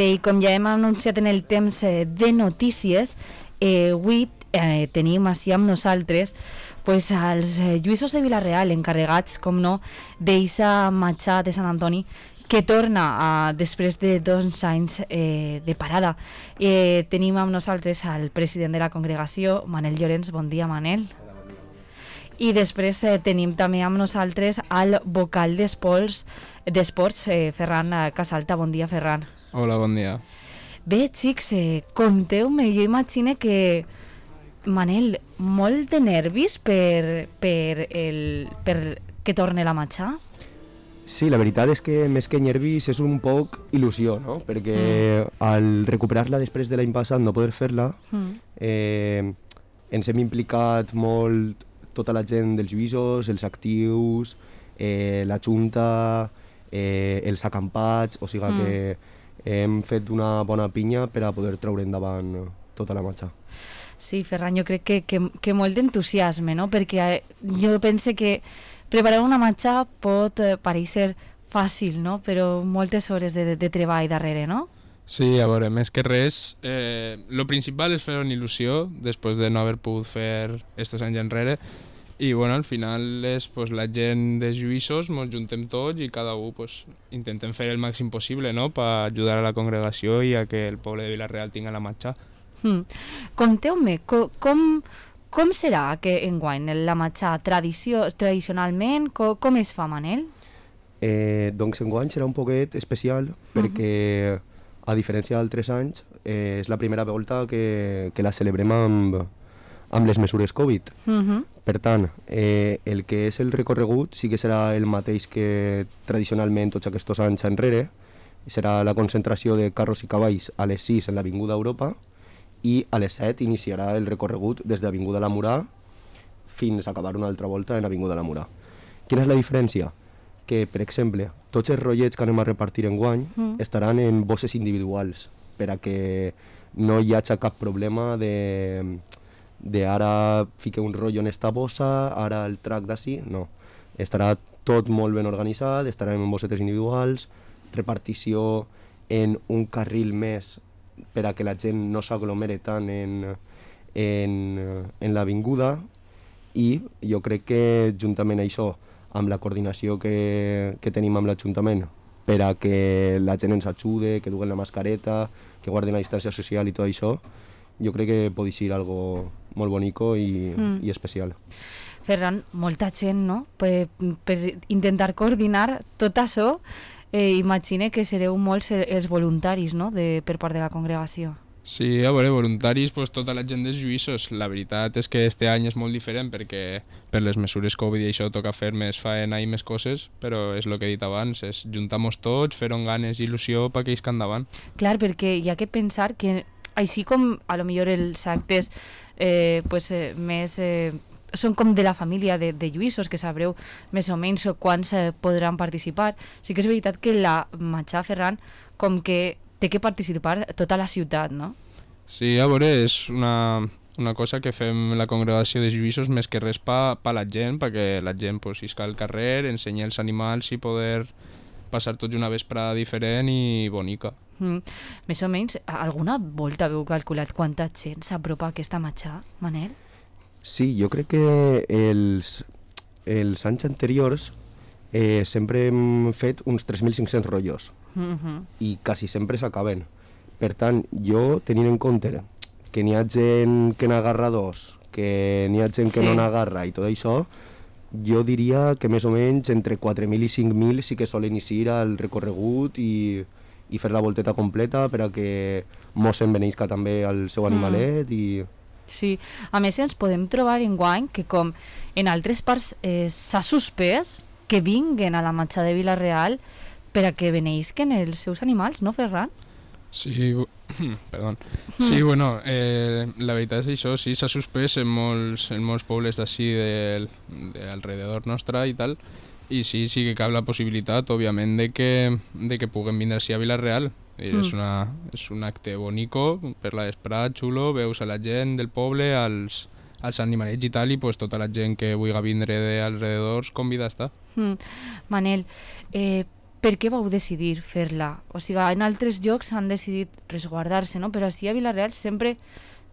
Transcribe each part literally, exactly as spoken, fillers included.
Bé, i com ja hem anunciat en el temps eh, de notícies, eh, avui eh, tenim així amb nosaltres pues, els eh, lluïssos de Vila-real, encarregats, com no, d'eixa matxa de Sant Antoni, que torna a, després de dos anys eh, de parada. Eh, tenim amb nosaltres al president de la congregació, Manel Llorens. Bon dia, Manel. I després eh, tenim també amb nosaltres al vocal d'esports, d'esports eh, Ferran Casalta. Bon dia, Ferran. Hola, bon dia. Bé, xics, eh, conteu-me, jo imagino que, Manel, molt de nervis per, per, el, per que torne la matxa? Sí, la veritat és que més que nervis és un poc il·lusió, no? Perquè mm. al recuperar-la després de l'any passat, no poder fer-la, mm. eh, ens hem implicat molt tota la gent dels lluïssos, els actius, eh, la junta, eh, els acampats, o sigui mm. que hem fet una bona pinya per a poder treure endavant tota la matxa. Sí, Ferran, jo crec que, que, que molt d'entusiasme, no? Perquè jo penso que preparar una matxa pot eh, pareixer fàcil, no? Però moltes hores de, de treball darrere, no? Sí, a veure, més que res, eh, lo principal és fer una il·lusió després de no haver pogut fer estos anys enrere, i bueno, al final és pues, la gent dels lluïssos, ens juntem tots i cada un pues, intentem fer el màxim possible, no?, per ajudar a la congregació i a que el poble de Vila-real tingui la matxa. Mm. Conteu-me, co com, com serà que enguany la matxa tradició, tradicionalment, co com es fa, Manel? Eh, doncs enguany serà un poquet especial perquè, uh -huh. a diferència d'altres anys, eh, és la primera volta que, que la celebrem amb, amb les mesures Covid. Uh -huh. Per tant, eh, el que és el recorregut sí que serà el mateix que tradicionalment tots aquests anys enrere. Serà la concentració de carros i cavalls a les sis en l'Avinguda Europa i a les set iniciarà el recorregut des d'Avinguda La Murà fins a acabar una altra volta en Avinguda La Murà. Quina és la diferència? Que, per exemple, tots els rotllets que anem a repartir enguany mm. estaran en bosses individuals per a que no hi hagi cap problema de, de ara fique un rotllo en esta bossa, ara el trac d'ací, no. Estarà tot molt ben organitzat, estarem en bossetes individuals, repartició en un carril més per a que la gent no s'aglomere tant en, en, en l'avinguda, i jo crec que juntament a això, amb la coordinació que, que tenim amb l'Ajuntament per a que la gent ens ajude, que duguen la mascareta, que guarden la distància social i tot això, jo crec que pot ser algo molt bonico i, mm. i especial. Ferran, molta gent, no?, per, per intentar coordinar tot això. Eh, imagine que sereu molts els voluntaris, no?, de, per part de la congregació. Sí, a veure, voluntaris, pues, tota la gent dels lluïssos. La veritat és que este any és molt diferent perquè per les mesures Covid i això toca fer més faena i més coses, però és el que he dit abans, és juntar-nos tots, fer on ganes i il·lusió perquè isca endavant. Clar, perquè hi ha que pensar que així com a lo millor els actes eh, pues, eh, més... Eh, són com de la família de, de lluïssos, que sabreu més o menys quants eh, podran participar. Sí que és veritat que la matxa, Ferran, com que té que participar tota la ciutat, no? Sí, a veure, és una, una cosa que fem la congregació de lluïssos més que res pa, pa la gent, perquè la gent pues, isca al carrer, ensenyar els animals i poder passar tots una vesprada diferent i bonica. Mm. Més o menys, alguna volta heu calculat quanta gent s'apropa a aquesta matxa, Manel? Sí, jo crec que els, els anys anteriors eh, sempre hem fet uns tres mil cinc-cents rotllos mm-hmm. i quasi sempre s'acaben. Per tant, jo, tenint en compte que n'hi ha gent que n'agarra dos, que n'hi ha gent sí. que no n'agarra i tot això, jo diria que més o menys entre quatre mil i cinc mil sí que solen iniciar el recorregut i, i fer la volteta completa per a que mos enveneisca també el seu animalet mm. i... Sí, a més ens podem trobar enguany que com en altres parts eh, s'ha suspès que vinguen a la matxa de Vila-real per a que beneïsquen els seus animals, no, Ferran? Sí, perdó. Sí, bueno, eh, la veritat és això, sí, s'ha suspès en molts, en molts pobles d'ací de, de alrededor nostre i tal, i sí, sí que cap la possibilitat, òbviament, de que, de que puguem vindre així a Vila-real. Mm. És, una, és un acte bonico, per la vesprada, xulo, veus a la gent del poble, als, als animalets i tal, i pues, tota la gent que vulgui vindre d'alrededors convida a estar. Mm. Manel, eh, per què vau decidir fer-la? O sigui, en altres llocs han decidit resguardar-se, no? Però així a Vila-real sempre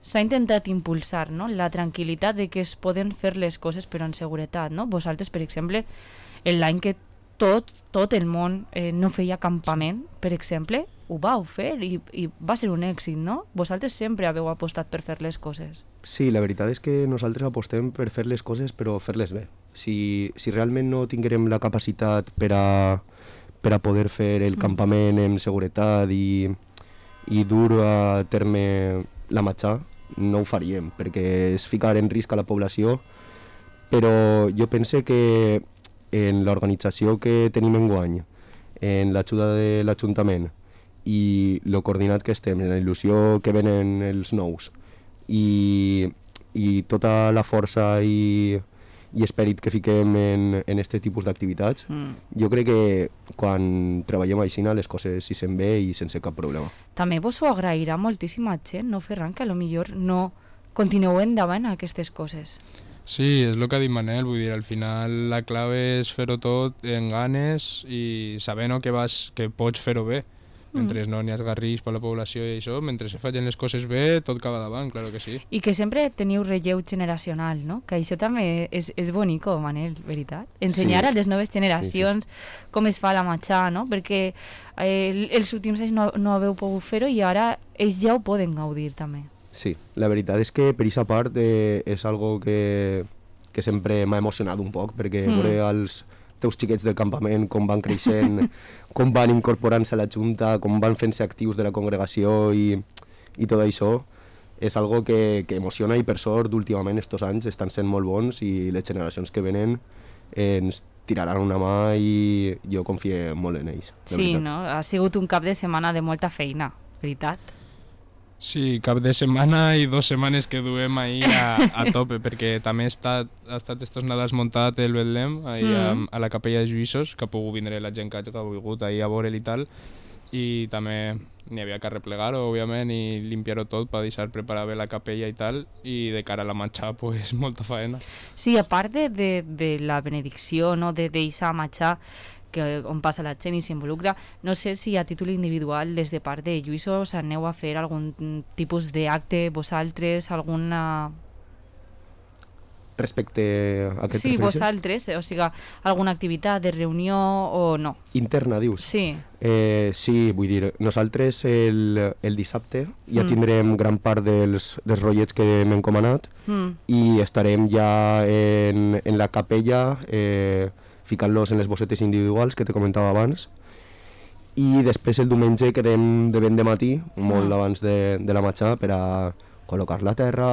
s'ha intentat impulsar, no? La tranquil·litat de que es poden fer les coses però en seguretat, no? Vosaltres, per exemple, l'any que tot, tot el món eh, no feia campament, per exemple, ho vau fer i, i va ser un èxit, no? Vosaltres sempre haveu apostat per fer les coses. Sí, la veritat és que nosaltres apostem per fer les coses però fer-les bé. Si, si realment no tinguérem la capacitat per a, per a poder fer el mm. campament en seguretat i, i dur a terme la matxà, no ho faríem, perquè és ficar en risc a la població, però jo pense que en l'organització que tenim enguany, en l'ajuda de l'Ajuntament i el coordinat que estem, en la il·lusió que venen els nous i, i tota la força i, i esperit que fiquem en, en aquest tipus d'activitats, mm. jo crec que quan treballem així les coses s'hi sent bé i sense cap problema. També vos ho agrairà moltíssima gent, no, Ferran, que potser no continueu endavant a aquestes coses. Sí, és el que ha dit Manel, vull dir, al final la clave és fer-ho tot en ganes i saber, no, que, vas, que pots fer-ho bé. Mentre mm. no n'hi ha esgarris per la població i això, mentre se facin les coses bé, tot acaba davant, claro que sí. I que sempre teniu relleu generacional, no? Que això també és, és bonico, Manel, veritat? Ensenyar sí. a les noves generacions sí, sí. com es fa la matxà, no? Perquè eh, els últims anys no, no haveu pogut fer-ho i ara ells ja ho poden gaudir també. Sí, la veritat és que per aquesta part eh, és algo que, que sempre m'ha emocionat un poc, perquè mm. veure els teus xiquets del campament, com van creixent, com van incorporant-se a la Junta, com van fent-se actius de la congregació i, i tot això, és algo que, que emociona i per sort últimament estos anys estan sent molt bons i les generacions que venen ens tiraran una mà i jo confio molt en ells. Sí, no? Ha sigut un cap de setmana de molta feina, veritat? Sí, cap de setmana i dos setmanes que duem ahir a, a tope, perquè també ha estat, ha estat estos Nadals muntat el Betlem ahir mm. a, a la capella de Lluïsos, que ha pogut vindre la gent que ha volgut ahir a veure'l i tal, i també n'hi havia que replegar-ho, òbviament, i limpiar-ho tot per deixar preparar bé la capella i tal, i de cara a la matxà, pues, molta faena. Sí, a part de, de, de la benedicció, no, de deixar matxà, que on passa la gent i s'involucra, no sé si a títol individual des de part de Lluïsos aneu a fer algun tipus d'acte vosaltres, alguna... Respecte a aquest Sí, vosaltres, o sigui, alguna activitat de reunió o no? Interna, dius? Sí. Eh, sí, vull dir, nosaltres el, el dissabte ja mm. tindrem gran part dels, dels rotllets que hem encomanat mm. i estarem ja en, en la capella eh, ficant-los en les bossetes individuals que te comentava abans i després el diumenge quedem de ben de matí, molt ah. abans de, de la matxà, per a col·locar la terra,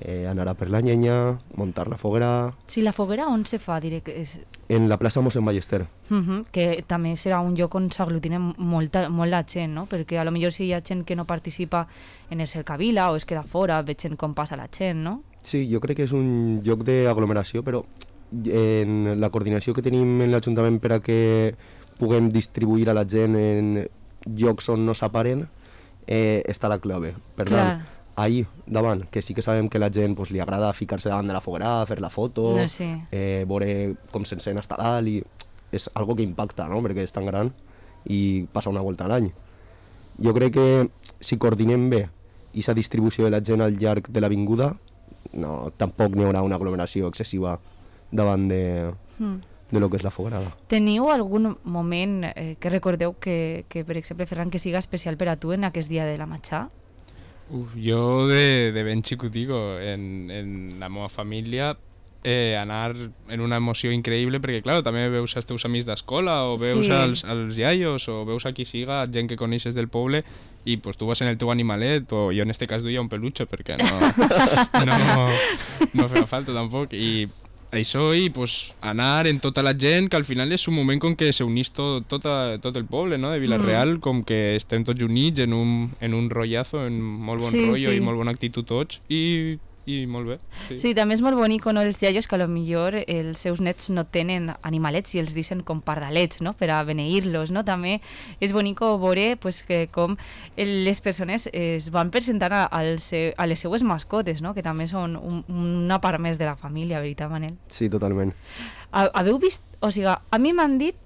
eh, anar a per la llenya, muntar la foguera... Sí, la foguera on se fa? Diré que és... En la plaça Mossèn Ballester. Uh -huh, que també serà un lloc on s'aglutina molta, molt la gent, no? Perquè a lo millor si hi ha gent que no participa en el cercavila o es queda fora, veig com passa la gent, no? Sí, jo crec que és un lloc d'aglomeració, però en la coordinació que tenim en l'Ajuntament per a que puguem distribuir a la gent en llocs on no s'aparen, eh, està la clave. Per Clar. tant, ahir davant, que sí que sabem que la gent pues, li agrada ficar-se davant de la foguera, fer la foto, no sé. eh, veure com s'encén hasta dalt, i és algo que impacta, no?, perquè és tan gran i passa una volta a l'any. Jo crec que si coordinem bé aquesta distribució de la gent al llarg de l'avinguda, no, tampoc n'hi haurà una aglomeració excessiva davant de, mm. de lo que és la foguerada. Teniu algun moment eh, que recordeu que, que, per exemple, Ferran, que siga especial per a tu en aquest dia de la matxà? Uf, jo de, de ben xicutico, en, en la meva família, eh, anar en una emoció increïble, perquè, clar, també veus els teus amics d'escola, o veus sí. els, els iaios, o veus a qui siga, gent que coneixes del poble, i pues, tu vas en el teu animalet, o jo en este cas duia un peluche, perquè no, no, no feia falta tampoc, i això i pues, anar en tota la gent, que al final és un moment com que s'unís tot, tot, a, tot el poble, no?, de Vila-real, mm. com que estem tots units en un, en un rotllazo, en molt bon sí, rotllo sí. i molt bona actitud tots, i, i molt bé. Sí. sí, també és molt bonic, no?, els iaios que a lo millor els seus nets no tenen animalets i els deixen com pardalets, no?, per a beneir-los, no?, també és bonic veure pues, que com les persones es van presentar a, a les seues mascotes, no?, que també són un, una part més de la família, veritat, Manel? Sí, totalment. Haveu vist, o sigui, a mi m'han dit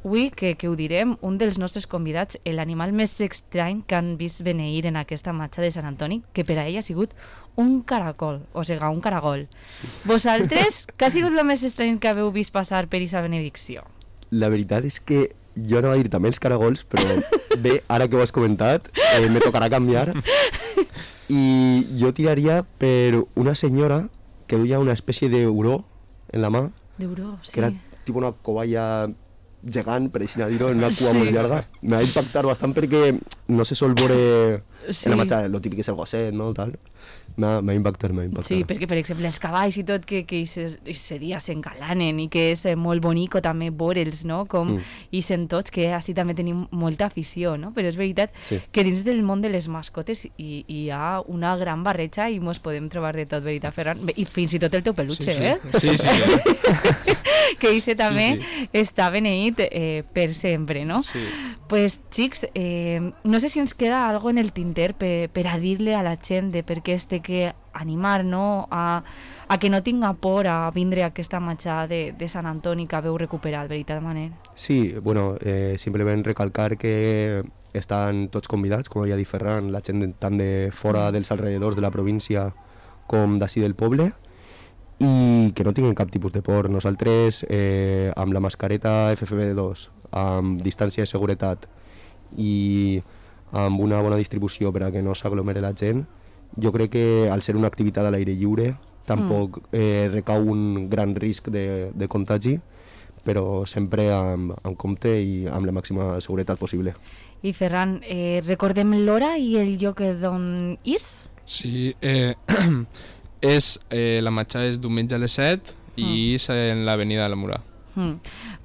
avui, que, que ho direm, un dels nostres convidats, l'animal més estrany que han vist beneir en aquesta marxa de Sant Antoni, que per a ell ha sigut un caracol, o sigui, un caragol. Sí. Vosaltres, què ha sigut el més estrany que haveu vist passar per aquesta benedicció? La veritat és que jo no va dir també els caragols, però bé, ara que ho has comentat, eh, me tocarà canviar. I jo tiraria per una senyora que duia una espècie d'euró en la mà. D'euró, sí. Que era tipus una covalla gegant, per així dir-ho, en una cua Sí. molt llarga. Me va impactar bastant perquè no se sol veure Sí. en la matxa, lo típic és el gosset, no? Tal. M'ha m'ha impactat, m'ha impactat. Sí, perquè, per exemple, els cavalls i tot, que, que aquest dia s'engalanen i que és eh, molt bonico també veure'ls, no? Com Mm. hi sent tots, que així també tenim molta afició, no? Però és veritat Sí. que dins del món de les mascotes hi, hi ha una gran barreja i mos podem trobar de tot, veritat, Ferran? Bé, i fins i tot el teu peluche, Sí, sí. eh? Sí, sí. que ese també Sí, està beneït eh, per sempre, no? Sí. Pues, xics, eh, no sé si ens queda algo en el tinter per, per a dir-li a la gent de per què es té que animar, no? A, a que no tinga por a vindre a aquesta marxa de, de Sant Antoni que haveu recuperat, veritat, Manel? Sí, bueno, eh, simplement recalcar que estan tots convidats, com havia dit Ferran, la gent tant de fora dels alrededors de la província com d'ací del poble, i que no tinguin cap tipus de por. Nosaltres, eh, amb la mascareta F F P dos, amb distància de seguretat i amb una bona distribució per a que no s'aglomere la gent, jo crec que al ser una activitat a l'aire lliure tampoc mm. eh, recau un gran risc de, de contagi, però sempre amb, amb compte i amb la màxima seguretat possible. I Ferran, eh, recordem l'hora i el lloc d'on és? Sí, eh, és, eh, la marxa és diumenge a les set i Mm. és en l'avenida de la Murà. Mm.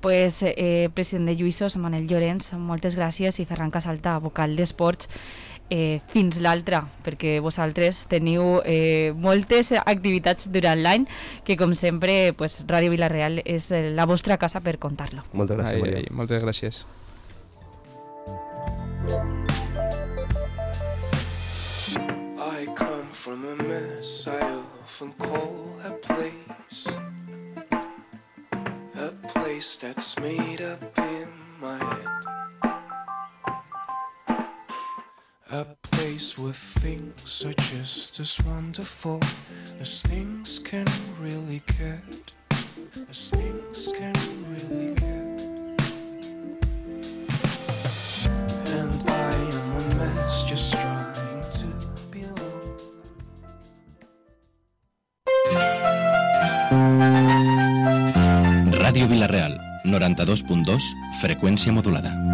Pues, eh, president de Lluïssos, Manel Llorenç, moltes gràcies, i Ferran Casalta, vocal d'Esports, eh, fins l'altra, perquè vosaltres teniu eh, moltes activitats durant l'any, que com sempre pues, Ràdio Vila-real és eh, la vostra casa per contar-lo. Moltes gràcies, Ai, Maria. ai, moltes gràcies. I come from a mess I often call a place, a place that's made up in my head, a place where things are just as wonderful as things can really get, as things can really get. And I am a mess just trying to belong. Ràdio Vila-real, noranta-dos punt dos, freqüència modulada.